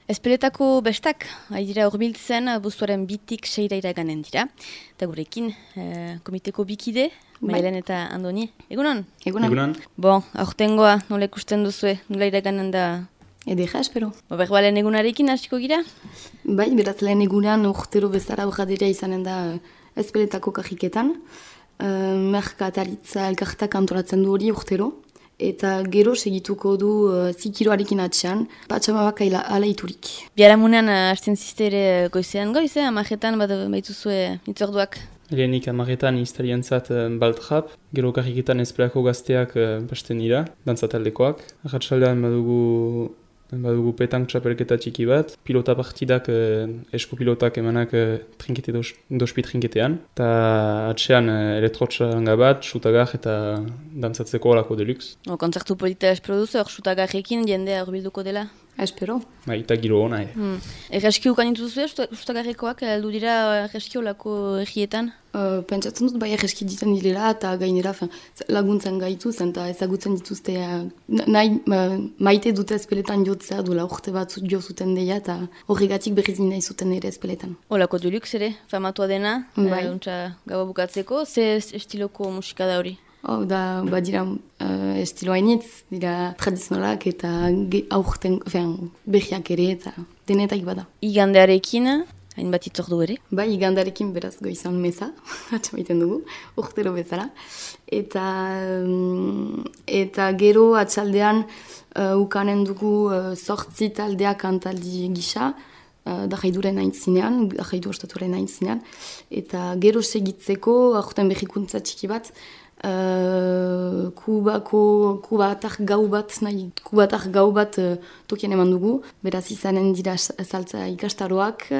Espeletako bestak, dira hurbiltzen, abuztuaren 2-6 iraganen dira. Eta gurekin, komiteko bikide, Maialen eta Andoni. Egunon? Egunon. Bon, aurtengoa, nola ikusten duzue, nola iraganen da? Edera, espero. Berba lehen egunarekin hasiko gira? Bai, beraz lehen egunean urtero bezala urradera izanen da espeletako kajiketan. Merkataritza elkartak antolatzen du hori urtero. Eta gero segituko du zikiroarekin atxean, patxamabak ala iturik. Biharamunean hasten ziste ere goizean amajetan baituzue itzorduak. Lehenik amaretan iztariantzat baltrap, gero karriketan espelako gazteak basten dira, dantzataldekoak. Arratsaldean badugu petank txapelketa txiki bat, pilota partidak, eskupilotak emanak dospi trinketean, eta atxean elektrotxaranga bat, xutagar eta dantzatzeko olako deluxe. Kontzertu polita espero duzu, xutagarrekin jendea urbilduko dela? Espero. Eta giro hona, Erreski ukan dituzue, xutagarrekoak, aldu dira erreski olako egietan? Pentsatzen dut bai erreski ditzen direla eta gainera laguntzen gaitu zen eta ezagutzen dituzte maite dute espeletan jotzea duela urte bat jo zuten deia eta horregatik berriz nahi zuten ere espeletan. Olako deluxe ere, famatua dena, gaba bukatzeko, ze estiloko musika da hori? Da, dira estilo hainitz, dira tradizionalak eta aurten berriak ere eta denetak bada. Igandearekin, hainbat itzordu ere? Bai, igandearekin beraz goizan meza, atxamaiten dugu, urtero bezala. Eta gero atxaldean ukanen dugu 8 taldeak kantaldi gisa, dajaiduren aintzinean, dajaidu ostatuaren aintzinean. Eta gero segitzeko, aurten berrikuntza txiki bat, kubatar gau bat tokian eman dugu, beraz izanen dira saltza ikastaroak,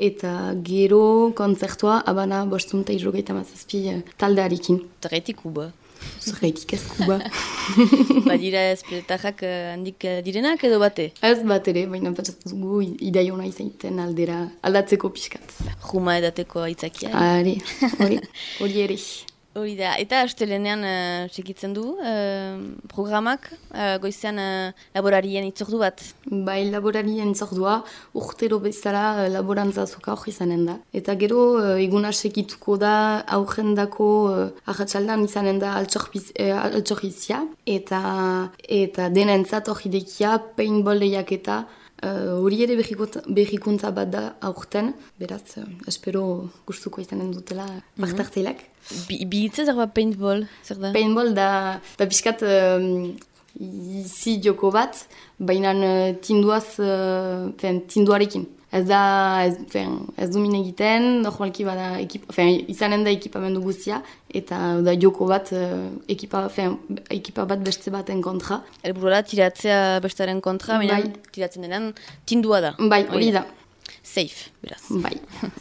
eta gero kontzertua abana 5:37 taldearekin. Zergatik kuba? Zergatik ez kuba. Badira espeletajak handik direnak edo bate? Ez bat ere, baina patsatzen dugu idaiona izaiten aldera aldatzeko pixkat. Juma edateko aitzakia. Hori ere. Hori da, eta astelenean segitzen du programak, goizean laborarien itzordu bat? Bai, laborarien itzordua, urtero bezala laborantza azoka hori izanen da. Eta gero eguna segituko da aurrendako ahatsaldan izanen da altxorrizia, eta denentzat hori dekia paintball lehiaketa. Hori ere berrikuntza bat da aurten, beraz, espero gustuko izanen dutela partartzeilak. Bihitza zer bat paintball, zer da? Paintball da pixkat izi joko bat, baina tinduarekin. Ez du min egiten, normalki bada izanen da ekipamendu guztia, eta da joko bat, ekipa bat beste baten kontra. Elburora tiratzea bestaren kontra, baina tiratzen denan tindua da. Bai, hori da. Safe, beraz. Bai,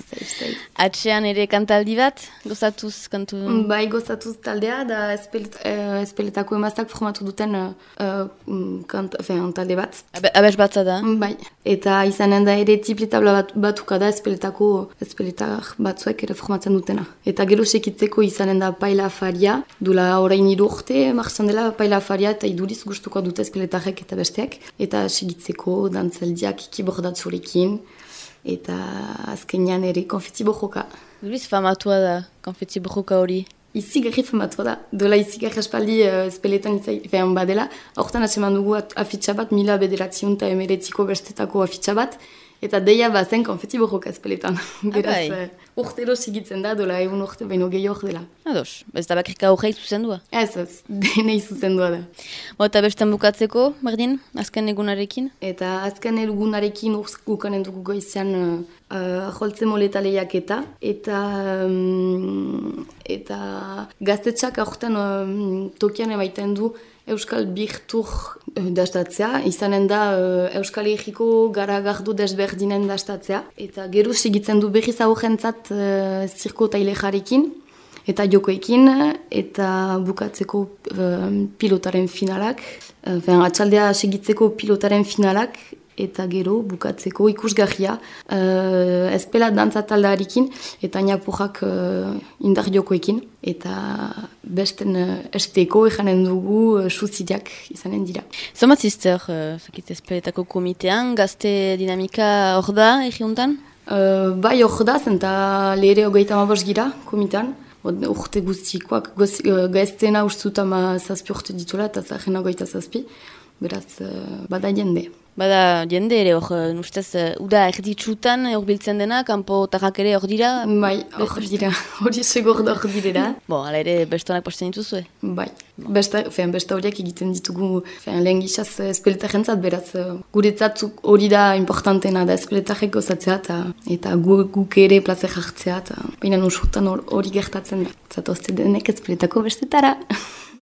safe. Atxean ere kantaldi bat, gozatuz kantu? Bai, gozatuz taldea, da espeletako emaztak formatu duten talde bat. Abes batza da? Bai, eta izanen da ere tipletabla batuka da espeletak batzuek ere formatzen dutena. Eta gero sekitzeko izanen da paila faria, dula orain 3 urte, marzan dela paila faria eta iduriz gustuko dute espeletarek eta besteak. Eta segitzeko dantzeldiak kibordatzurekin. Eta azkenean ere konfeti bojoka. Duriz famatua da konfeti bojoka hori? Izigarri famatua da. Dola izigarri aspaldi espeletan izan badela. Hortan atseman dugu afitxa bat, 1989ko bestetako afitxa bat. Eta deia bazen konfeti bojoka espeletan. Beraz, urtero sigitzen da, dola egun urte baino gehiago dela. Ados, ez da bakrika horreik zuzendua? Ez, denei zuzendua da. Eta bestan bukatzeko, berdin, azken egunarekin? Eta azken egunarekin ukanen dugu goizean joltze moleta lehiaketa. Eta gaztetxak aurten tokian emaiten du Euskal Birtur dastatzea, izanen da Euskal Herriko garagardo desberdinen dastatzea. Eta gero segitzen du berriz aurrentzat zirko tailejarekin eta jokoekin, eta bukatzeko pilotaren finalak. Atxaldea segitzeko pilotaren finalak, eta gero bukatzeko ikusgarria ezpela dantza taldearekin eta Ñapurrak indar jokoekin eta besten esteko ejanen dugu suzideak izanen dira. Zomat zizter, ezpeletako komitean, gazte dinamika hor da egiuntan? Bai hor da, zenta lehre 35 gira komitean. Urte guztikoak, gaztena ustut 7 urte ditula eta zahena 27, beraz bada jende. Bada jende ere hor, ustez, uda erditsutan hor biltzen dena, kanpo tarrak ere hor dira? Bai, hor dira, hori segur da hor direla. Ala ere bestonak posten dituzue? Bai, besta horiak egiten ditugu lehen gizaz espeletarentzat, beraz guretzat hori da importantena da espeletarek gozatzea eta guk ere plazer hartzea, baina usurtan hori gertatzen da. Zatozte denek espeletako bestetara.